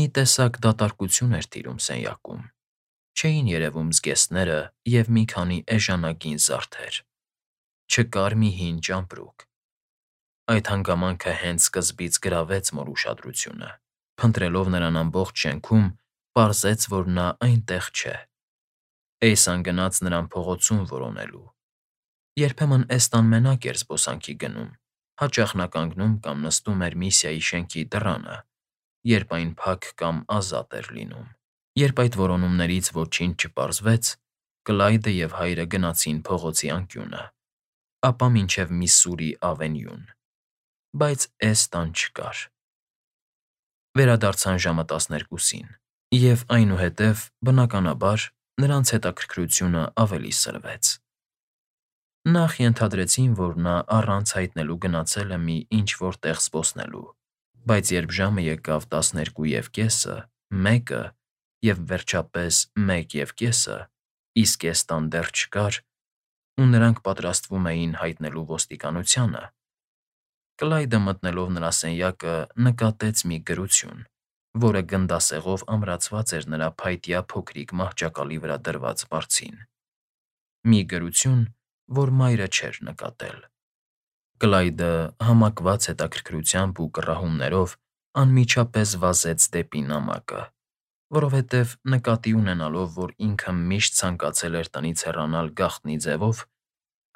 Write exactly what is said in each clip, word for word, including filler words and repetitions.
Մի տեսակ դատարկություն էր տիրում սենյակում. չէին երևում զգեստները և մի քանի էժանագին զարդեր, չկար մի հին ճամպրուկ։ Այդ հանգամանքը հենց սկզբից գրավեց Մոր ուշադրությունը, փնտրելով նրան ամբողջ շենքում, պարզեց, որ նա այնտեղ չէ։ Էյսան գնաց նրան փողոցում որոնելու։ Երբեմն Էստան մենակ էր զբոսանքի գնում, հաճախ նա կանգնում կամ նստում էր Միսիայի շենքի դռանը, երբ այն փակ կամ ազատ էր լինում։ Երբ այդ որոնումներից ոչինչ չպարզվեց, Կլայդը և հայրը գնացին փողոցի անկյունը, ապա մինչև Միսսուրի Ավենյուն, բայց Էստան չկար։ Վերադարձան ժամը տասներկուսին, և այնուհետև, բնականաբար, նրանց հետաքրքրությունը ավելի սրվեց։ Նախ ենթադրեցին, որ նա առանց հայտնելու գնացել է մի ինչ֊որ տեղ զբոսնելու, բայց երբ ժամը եկավ տասներկու և կեսը, մեկը և, վերջապես, մեկ և կեսը, իսկ Էստան դեռ չկար, ու նրանք պատրաստվում էին հայտնելու ոստիկանությանը, Կլայդը մտնելով նրա սենյակը նկատեց մի գրություն, որը գնդասեղով ամրացված էր նրա փայտյա փոքրիկ մահճակալի վրա դրված բարձին։ Մի գրություն, որ մայրը չէր նկատել։ Կլայդը, համակված հետաքրքրությամբ ու կռահումներով, անմիջապես վազեց դեպի նամակը, որովհետև, նկատի ունենալով, որ ինքը միշտ ցանկացել էր տնից հեռանալ գաղտնի ձևով,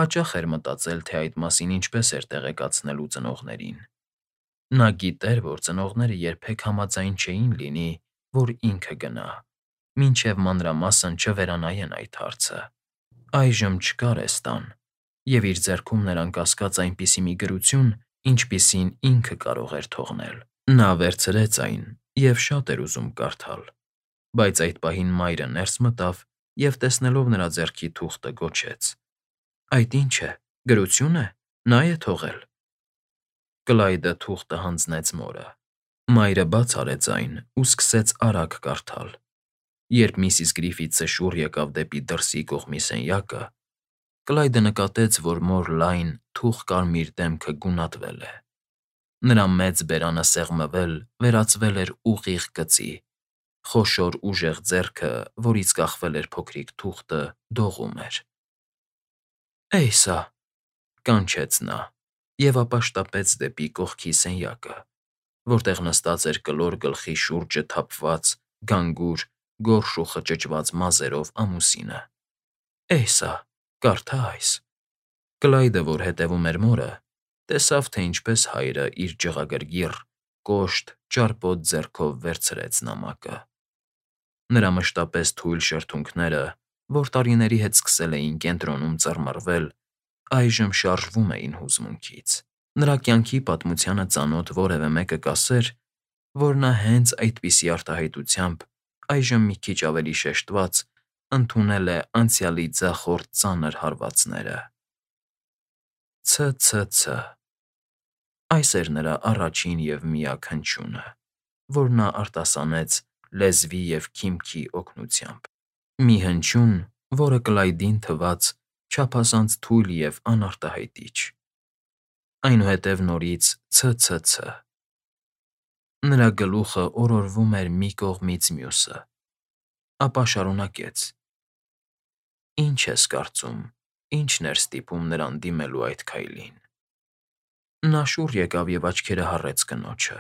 հաճախ էր մտածել, թե այդ մասին ինչպես էր տեղեկացնելու ծնողներին։ Նա գիտեր, որ ծնողները երբեք համաձայն չէին լինի, որ ինքը գնա, մինչև մանրամասն չվերանայեն այդ հարցը։ Այժմ չկար Էստան, և իր ձեռքում նրան կասկած այնպիսի մի գրություն, ինչպիսին ինքը կարող էր թողնել։ Նա վերցրեց այն և շատ էր ուզում կարդալ, բայց այդ պահին մայրը ներս մտավ և, տեսնելով նրա ձեռքի թուղթը, գոչեց. «Այդ ի՞նչ է, գրությո՞ւն է, նա՞ է թողել»։ Կլայդը թուղթը հանձնեց մորը։ Մայրը բաց արեց այն ու սկսեց արագ կարդալ։ Երբ միսիս Գրիֆիթսը շուռ եկավ դեպի դրսի կողմի սենյակը, Կլայդը նկատեց, որ մոր լայն, թուխ կարմիր դեմքը գունատվել է։ Նրա մեծ բերանը սեղմվել, վերածվել էր ուղիղ գծի, խոշոր ուժեղ ձեռքը, որից կախվել էր փոքրիկ թուղթը, դողում էր։ «Էյսա», կանչեց նա և ապա շտապեց դեպի կողքի սենյակը, որտեղ նստած էր կլոր գլխի շուրջը թափված, գանգուր, գորշ ու խճճված մազերով ամուսինը։ «Էյսա, կարդա այս»։ Կլայդը, որ հետևում էր մորը, տեսավ, թե ինչպես հայրը իր ջղագրգիռ, կոշտ, ճարպոտ ձեռքով վերցրեց նամակը։ Նրա մշտապես թույլ շրթունքները, որ տարիների հետ սկսել էին կենտրոնում ծռմռվել, այժմ շարժվում էին հուզմունքից։ Նրա կյանքի պատմությանը ծանոթ որևէ մեկը կասեր, որ նա հենց այդպիսի արտահայտությամբ, այժմ մի քիչ ավելի շեշտված, ընդունել է անցյալի ձախորդ ծանր հարվածները։ Ց֊ց֊ց… Այս էր նրա առաջին և միակ հնչյունը, որ նա արտասանեց լեզվի և քիմքի օգնությամբ։ Մի հնչյուն, որը Կլայդին թվաց չափազանց թույլ և անարտահայտիչ։ Այնուհետև նորից ց֊ց֊ց… Նրա գլուխը օրորվում էր մի կողմից մյուսը, ապա շարունակեց. «Ի՞նչ ես կարծում, ի՞նչն էր ստիպում նրան դիմելու այդ քայլին»։ Նա շուռ եկավ և աչքերը հառեց կնոջը,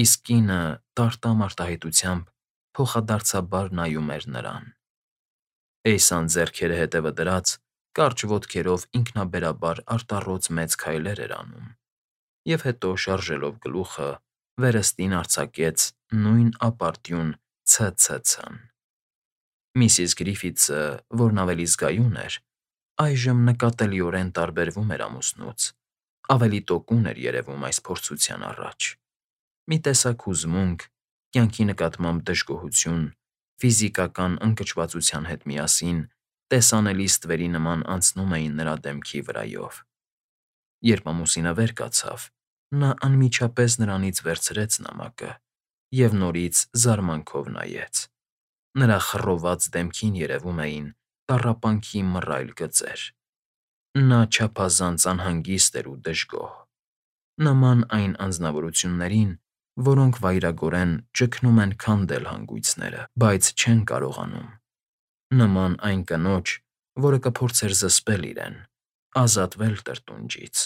իսկ կինը տարտամ արտահայտությամբ փոխադարձաբար նայում էր նրան։ Էյսան, ձեռքերը հետևը դրած, կարճ ոտքերով ինքնաբերաբար արտառոց մեծ քայլեր էր անում և հետո, շարժելով գլուխը, վերստին արձակեց նույն ապարդյուն ց֊ց֊ցն։ Միսիս Գրիֆիթսը, որն ավելի զգայուն էր, այժմ նկատելիորեն տարբերվում էր ամուսնուց, ավելի տոկուն էր երևում այս փորձության առաջ։ Մի տեսակ հուզմունք, կյանքի նկատմամբ դժգոհություն, ֆիզիկական ընկճվածության հետ միասին տեսանելի ստվերի նման անցնում էին նրա դեմքի վրայով։ Երբ ամուսինը վեր կացավ, նա անմիջապես նրանից վերցրեց նամակը և նորից զարմանքով նայեց։ Նրա խռոված դեմքին երևում էին տառապանքի մռայլ գծեր։ Նա չափազանց անհանգիստ էր ու դժգոհ, նման այն անձնավորություններին, որոնք վայրագորեն ճգնում են քանդել հանգույցները, բայց չեն կարողանում, նման այն կնոջ, որը կփորձեր զսպել իրեն, ազատվել տրտունջից,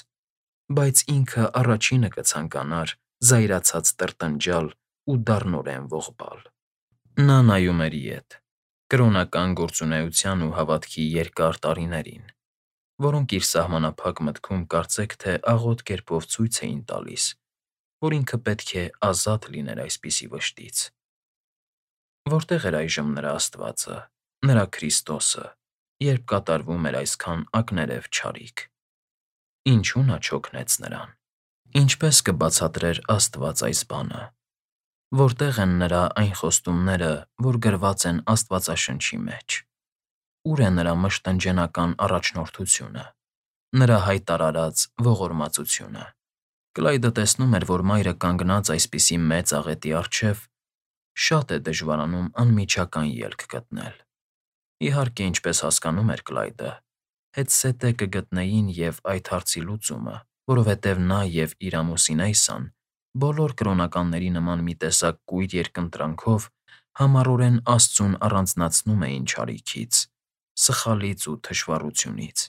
բայց ինքը առաջինը կցանկանար զայրացած տրտնջալ ու դառնորեն ողբալ։ Նա նայում էր ետ, կրոնական գործունեության ու հավատքի երկար տարիներին, որոնք իր սահմանափակ մտքում կարծեք թե աղոտ կերպով ցույց էին տալիս, որ ինքը պետք է ազատ լիներ այսպիսի վշտից։ Որտե՞ղ էր այժմ նրա Աստվածը, նրա Քրիստոսը, երբ կատարվում էր այսքան ակներև չարիք։ Ինչու՞ նա չօգնեց նրան։ Ինչպե՞ս կբացատրեր Աստված այս բանը։ Որտե՞ղ են նրա այն խոստումները, որ գրված են Աստվածաշնչի մեջ։ Ուր է նրա մշտնջենական առաջնորդությունը, նրա հայտարարած ողորմածությունը։ Կլայդը տեսնում էր, որ մայրը կանգնած այսպիսի մեծ աղետի առջև, շատ է դժվարանում անմիջական ելք գտնել։ Իհարկե, ինչպես հասկանում էր Կլայդը, հետզհետե կգտնեին և այդ հարցի լուծումը, որովհետև նա և իր ամուսին Էյսան բոլոր կրոնականների նման մի տեսակ կույր երկընտրանքով համառորեն Աստծուն առանձնացնում էին չարիքից, սխալից ու թշվառությունից,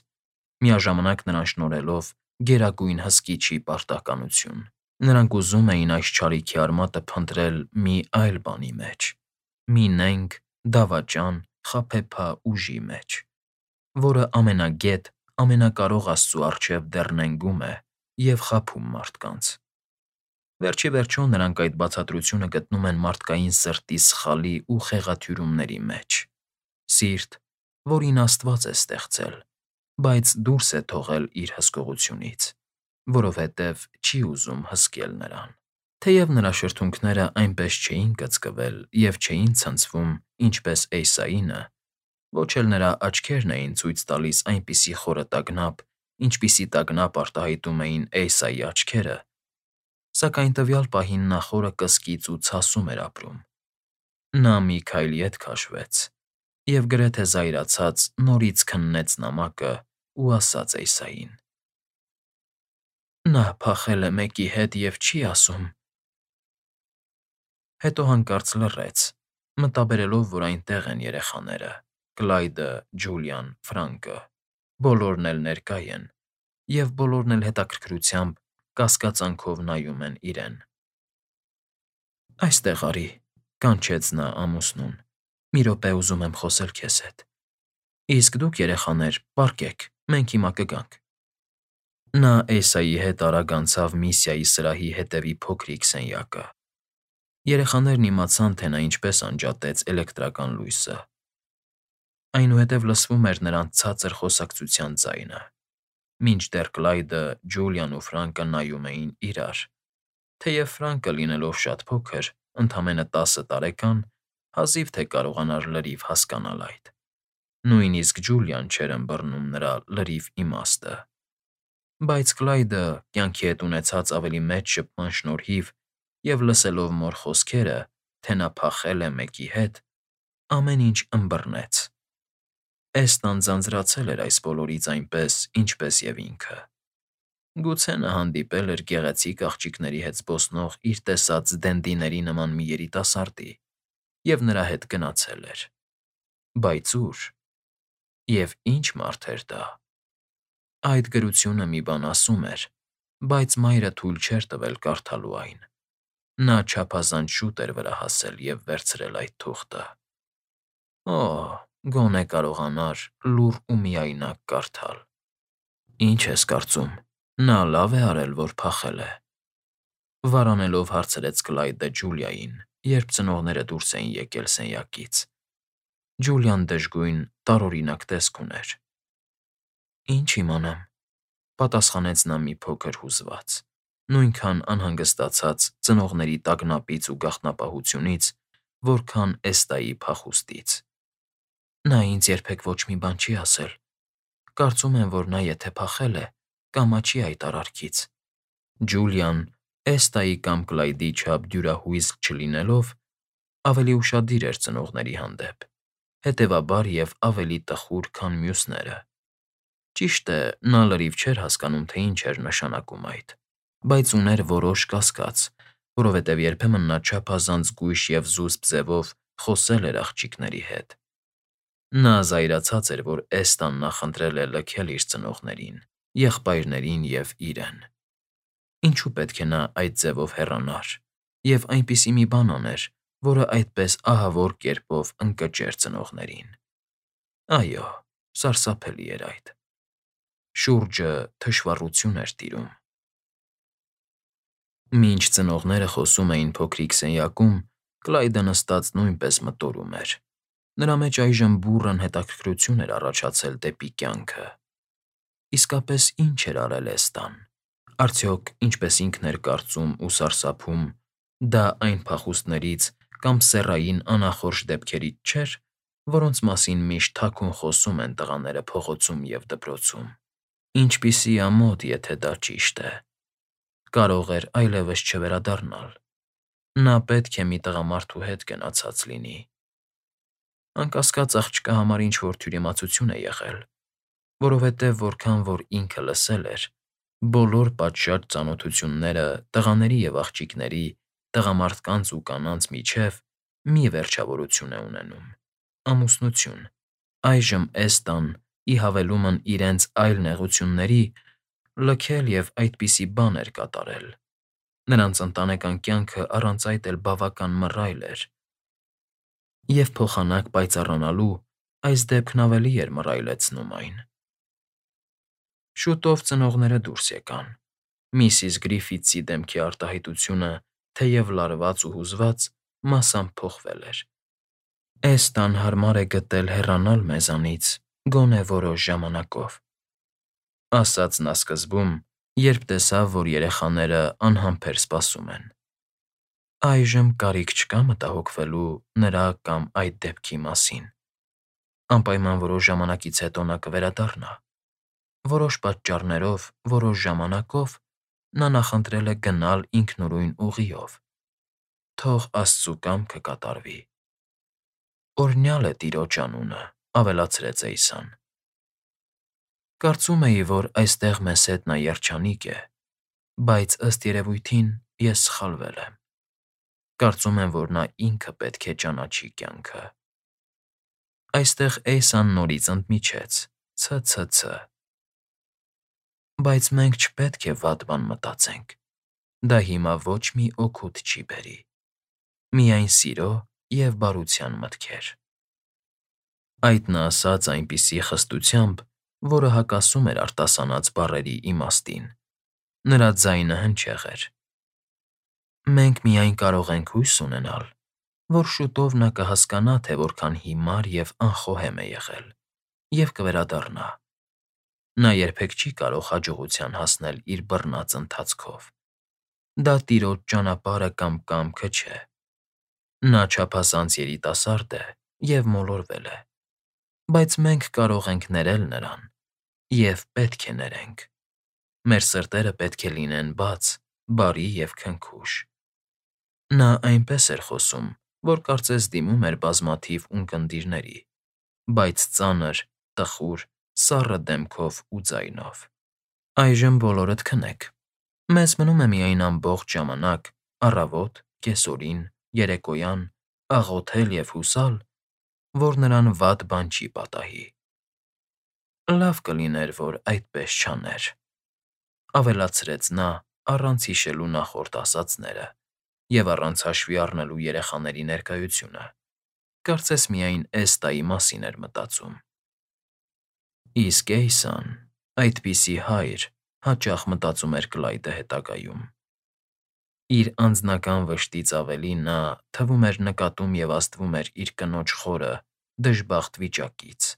միաժամանակ նրան շնորհելով գերագույն հսկիչի պարտականություն։ Նրանք ուզում էին այս չարիքի արմատը փնտրել մի այլ բանի մեջ, մի նենգ, դավաճան, խաբեբա ուժի մեջ, որը ամենագետ, ամենակարող Աստծու առջև դեռ նենգում է և խաբում մարդկանց։ Վերջ ի վերջո նրանք այդ բացատրությունը գտնում են մարդկային սրտի սխալի ու խեղաթյուրումների մեջ։ Սիրտ, որին Աստված է ստեղծել, բայց դուրս է թողել իր հսկողությունից, որովհետև չի ուզում հսկել նրան։ Թեև նրա շրթունքները այնպես չէին կծկվել և չէին ցնցվում, ինչպես Էյսայինը, ոչ էլ նրա աչքերն էին ցույց տալիս այնպիսի խորը տագնապ, ինչպիսի տագնապ արտահայտում էին Էյսայի աչքերը, սակայն տվյալ պահին նա խորը կսկիծ ու ցասում էր ապրում։ Նա մի քայլ ետ քաշվեց և գրեթե զայրացած նորից քննեց նամակը ու ասաց Էյսային. «Նա փախել է մեկի հետ և չի ասում»։ Հետո հանկարծ լռեց, մտաբերելով, որ այնտեղ են երեխաները՝ Կլայդը, Ջուլիան, Ֆրանկը, բոլորն էլ ներկա են, և բոլորն էլ հետաքրքրությամբ, կասկածանքով նայում են իրեն։ «Այստեղ արի», ֊ կանչեց նա ամուսնուն, ֊ «մի րոպե ուզում եմ խոսել քեզ հետ։ Իսկ դուք, երեխաներ, պառկեք, մենք հիմա կգանք»։ Նա Էյսայի հետ արագ անցավ Միսիայի սրահի հետևի փոքրիկ սենյակը։ Երեխաներն իմացան, թե նա ինչպես անջատեց էլեկտրական լույսը։ Այնուհետև լսվում էր նրանց ցածր խոսակցության ձայնը, մինչդեռ Կլայդը, Ջուլիան ու Ֆրանկը նայում էին իրար, թեև Ֆրանկը, լինելով շատ փոքր, ընդամենը տասը տարեկան, հազիվ թե կարողանար լրիվ հասկանալ այդ։ Նույնիսկ Ջուլիան չէր ըմբռնում նրա լրիվ իմաստը։ Բայց Կլայդը, կյանքի հետ ունեցած ավելի մեծ շփման շնորհիվ և լսելով մոր խոսքերը, թե նա փախել է մեկի հետ, ամեն ինչ ըմբռնեց։ Էստան ձանձրացել էր այս բոլորից այնպես, ինչպես և ինքը։ Գուցե նա հանդիպել էր գեղեցիկ աղջիկների հետ զբոսնող իր տեսած Դենդիների նման մի երիտասարդի և նրա հետ գնացել էր։ Բայց ո՞ւր։ Եվ ի՞նչ մարդ էր դա։ Այդ գրությունը մի բան ասում էր, բայց մայրը թույլ չէր տվել կարդալու այն։ Նա չափազանց շուտ էր վրա հասել և վերցրել այդ թուղթը։ Օհ, գոնե կարողանար լուռ ու միայնակ կարդալ։ Ի՞նչ ես կարծում, նա լավ է արել, որ փախել է։ Վարանելով հարցրեց Կլայդը Ջուլիային, երբ ծնողները դուրս էին եկել սենյակից։ Ջուլիան դժգույն, տարօրինակ տեսք ուներ։ Ինչ իմանամ, ֊ պատասխանեց նա մի փոքր հուզված, նույնքան անհանգստացած ծնողների տագնապից ու գաղտնապահությունից, որքան Էստայի փախուստից։ Նա ինձ երբեք ոչ մի բան չի ասել։ Կարծում եմ, որ նա եթե փախել է, կամաչի այդ արարքից։ Ջուլիան, Էստայի կամ Կլայդի չափ դյուրահույզ չլինելով, ավելի ուշադիր էր ծնողների հանդեպ, հետևաբար և ավելի տխուր, քան մյուսները։ Ճիշտ է, նա լրիվ չէր հասկանում, թե ինչ էր նշանակում այդ, բայց ուներ որոշ կասկած, որովհետև երբեմն նա չափազանց գույշ և զուսպ ձևով խոսել էր աղջիկների հետ։ Նա զայրացած էր, որ Էստան նախընտրել է լքել իր ծնողներին, եղբայրներին և իրեն։ Ինչու պետք է նա այդ ձևով հեռանար և այնպիսի մի բան աներ, որը այդպես ահավոր կերպով ընկճեր ծնողներին։ Այո, սարսափելի էր այդ։ Շուրջը թշվառություն էր տիրում։ Մինչ ծնողները խոսում էին փոքրիկ սենյակում, Կլայդը նստած նույնպես մտորում էր։ Նրա մեջ այժմ բուռն հետաքրքրություն էր առաջացել դեպի կյանքը։ Իսկապես ի՞նչ էր արել Էստան։ Արդյոք, ինչպես ինքն էր կարծում ու սարսափում, դա այն փախուստներից կամ սեռային անախորժ դեպքերից չէր, որոնց մասին միշտ թաքուն խոսում են տղաները փողոցում և դպրոցում։ Ինչպիսի ամոթ, եթե դա ճիշտ է։ Կարող էր այլևս չվերադառնալ։ Նա պետք է մի տղամարդու հետ գնացած լինի։ Անկասկած, աղջկա համար ինչ֊որ թյուրիմացություն է եղել, որովհետև որքան որ ինքը լսել էր, բոլոր պատշաճ ծանոթությունները տղաների և աղջիկների, տղամարդկանց ու կանանց միջև մի վերջավորություն է ունենում՝ ամուսնություն։ Այժմ Էստան, ի հավելումն իրենց այլ նեղությունների, լքել և այդպիսի բան էր կատարել։ Նրանց ընտանեկան կյանքը առանց այդ էլ բավական մռայլ էր, և փոխանակ պայծառանալու այս դեպքն ավելի էր մռայլեցնում այն։ Շուտով ծնողները դուրս եկան։ Միսիս Գրիֆիթսի դեմքի արտահայտությունը, թեև լարված ու հուզված, մասամբ փոխվել էր։ Էստան հարմար է գտել հեռանալ մեզանից, գոնե որոշ ժամանակով,֊ ասաց նա սկզբում, երբ տեսավ, որ երեխաները անհամբեր սպասում են։ Այժմ կարիք չկա մտահոգվելու նրա կամ այդ դեպքի մասին։ Անպայման որոշ ժամանակից հետո նա կվերադառնա։ Որոշ պատճառներով, որոշ ժամանակով նա նախընտրել է գնալ ինքնուրույն ուղիով։ Թող աստծու կամքը կատարվի։ Օրհնյալ է Տիրոջ անունը,֊ ավելացրեց Էյսան։ Կարծում էի, որ այստեղ մեզ հետ նա երջանիկ է, բայց, ըստ երևույթին, ես սխալվել եմ։ Կարծում եմ, որ նա ինքը պետք է ճանաչի կյանքը։ Այստեղ Էյսան նորից ընդմիջեց. Ց֊ց֊ց… Բայց մենք չպետք է վատ բան մտածենք։ Դա հիմա ոչ մի օգուտ չի բերի։ Միայն սիրո և բարության մտքեր։ Այդ նա ասաց այնպիսի խստությամբ, որը հակասում էր արտասանած բառերի իմաստին։ Նրա ձայնը հնչեղ էր։ Մենք միայն կարող ենք հույս ունենալ, որ շուտով նա կհասկանա, թե որքան հիմար և անխոհեմ է եղել, և կվերադառնա։ Նա երբեք չի կարող հաջողության հասնել իր բռնած ընթացքով։ Դա Տիրոջ ճանապարհը կամ կամքը չէ։ Նա չափազանց երիտասարդ է և մոլորվել է, բայց մենք կարող ենք ներել նրան և պետք է ներենք։ Մեր սրտերը պետք է լինեն բաց, բարի և քնքուշ։ Նա այնպես էր խոսում, որ կարծես դիմում էր բազմաթիվ ունկնդիրների, բայց ծանր, տխուր, սառը դեմքով ու ձայնով։ Այժմ բոլորդ քնեք։ Մեզ մնում է միայն ամբողջ ժամանակ, առավոտ, կեսօրին, երեկոյան, աղոթել և հուսալ, որ նրան վատ բան չի պատահի։ Լավ կլիներ, որ այդպես չաներ,֊ ավելացրեց նա առանց հիշելու նախորդ ասածները և առանց հաշվի առնելու երեխաների ներկայությունը։ Կարծես միայն Էստայի մասին էր մտածում։ Իսկ Էյսան, այդպիսի հայր, հաճախ մտածում էր Կլայդը հետագայում։ Իր անձնական վշտից ավելի նա, թվում էր, նկատում և ազդվում էր իր կնոջ խորը, դժբախտ վիճակից։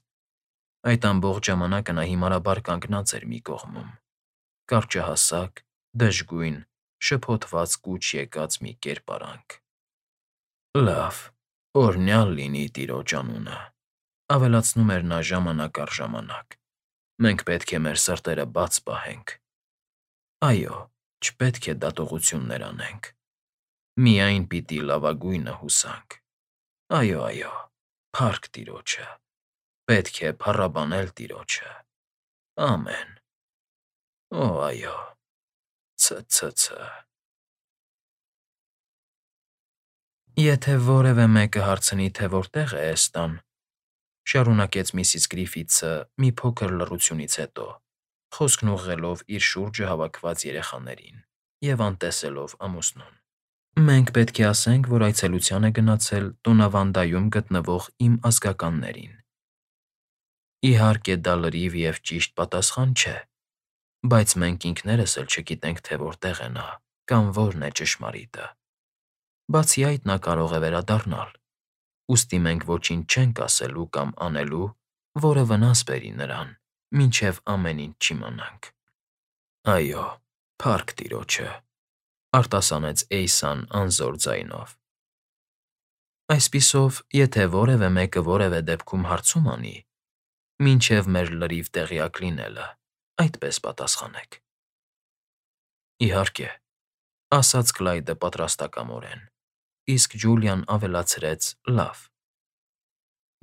Այդ ամբողջ ժամանակը նա հիմարաբար կանգնած էր մի կողմում, կարճահասակ, դժգույն, շփոթված կուչ եկած մի կերպարանք։ Լավ, օրհնյալ լինի Տիրոջ անունը,֊ ավելացնում էր նա ժամանակ առ ժամանակ։ Մենք պետք է մեր սրտերը բաց պահենք։ Այո, չպետք է դատողություններ անենք։ Միայն պիտի լավագույնը հուսանք։ Այո, այո, փառք Տիրոջը։ Պետք է փառաբանել Տիրոջը։ Ամեն։ Օ, այո, ց֊ց֊ց… Եթե որևէ մեկը հարցնի, թե որտեղ է Էստան, շարունակեց միսիս Գրիֆիթսը մի փոքր լռությունից հետո, խոսքն ուղղելով իր շուրջը հավաքված երեխաներին և անտեսելով ամուսնուն. Մենք պետք է ասենք, որ այցելության է գնացել Տոնավանդայում գտնվող իմ ազգականներին։ Իհարկե, դա լրիվ և ճիշտ պատասխան չէ, բայց մենք ինքներս էլ չգիտենք, թե որտեղ է նա կամ որն է ճշմարիտը։ Բացի այդ, նա կարող է վերադառնալ, ուստի մենք ոչինչ չենք ասելու կամ անելու, որը վնաս բերի նրան, մինչև ամեն ինչ չիմանանք։ Այո, փառք Տիրոջը, արտասանեց Էյսան անզոր ձայնով։ Այսպիսով, եթե որևէ մեկը որևէ դեպքում հարցում անի, մինչև մեր լրիվ տեղյակ լինելը, այդպես պատասխանեք։ Իհարկե, ասաց Կլայդը պատրաստակամորեն, իսկ Ջուլիան ավելացրեց. լավ։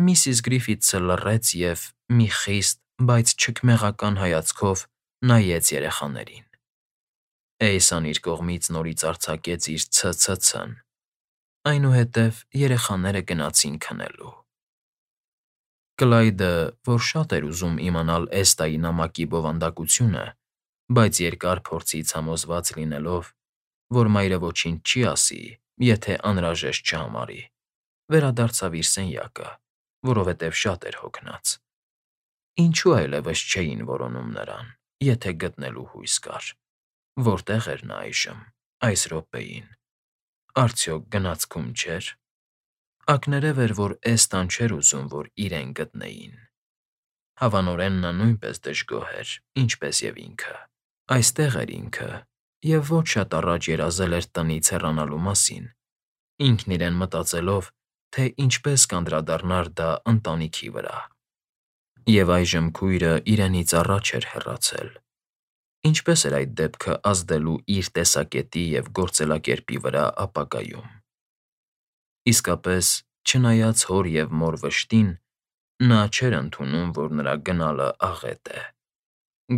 Միսիս Գրիֆիթսը լռեց և մի խիստ, բայց չքմեղական հայացքով նայեց երեխաներին։ Էյսան իր կողմից նորից արձակեց իր ցցցն, այնուհետև երեխաները գնացին քնելու։ Կլայդը, որ շատ էր ուզում իմանալ Էստայի նամակի բովանդակությունը, բայց երկար փորձից համոզված լինելով, որ մայրը ոչինչ չի ասի, եթե անհրաժեշտ չհամարի, վերադարձավ իր սենյակը, որովհետև շատ էր հոգնած։ Ինչու այլևս չէին որոնում նրան, եթե գտնելու հույս կար։ Որտեղ էր նա այժմ, այս րոպեին։ Արդյոք գնացքում չէր։ Ակներև էր, որ Էստան չէր ուզում, որ իրեն գտնեին։ Հավանորեն նա նույնպես դժգոհ էր, ինչպես և ինքը։ Այստեղ էր ինքը և ոչ շատ առաջ երազել էր տնից հեռանալու մասին, ինքն իրեն մտածելով, թե ինչպես կանդրադառնար դա ընտանիքի վրա։ Եվ այժմ քույրը իրենից առաջ էր հեռացել։ Ինչպե՞ս էր այդ դեպքը ազդելու իր տեսակետի և գործելակերպի վրա ապագայում։ Իսկապես, չնայած հոր և մոր վշտին, նա չէր ընդունում, որ նրա գնալը աղետ է,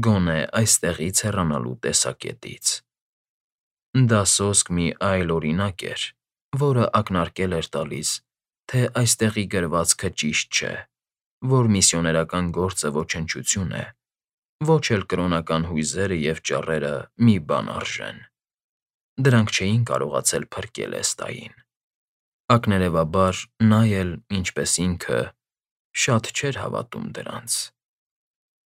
գոնե այստեղից հեռանալու տեսակետից։ Դա սոսկ մի այլօրինակ էր, որը ակնարկել էր տալիս, թե այստեղի գրվածքը ճիշտ չէ, որ միսիոներական գործը ոչնչություն է, ոչ էլ կրոնական հույզերը և ճառերը մի բան արժեն։ Դրանք չէին կարողացել փրկել Էստային։ Ակներևաբար, նա էլ, ինչպես ինքը, շատ չէր հավատում դրանց։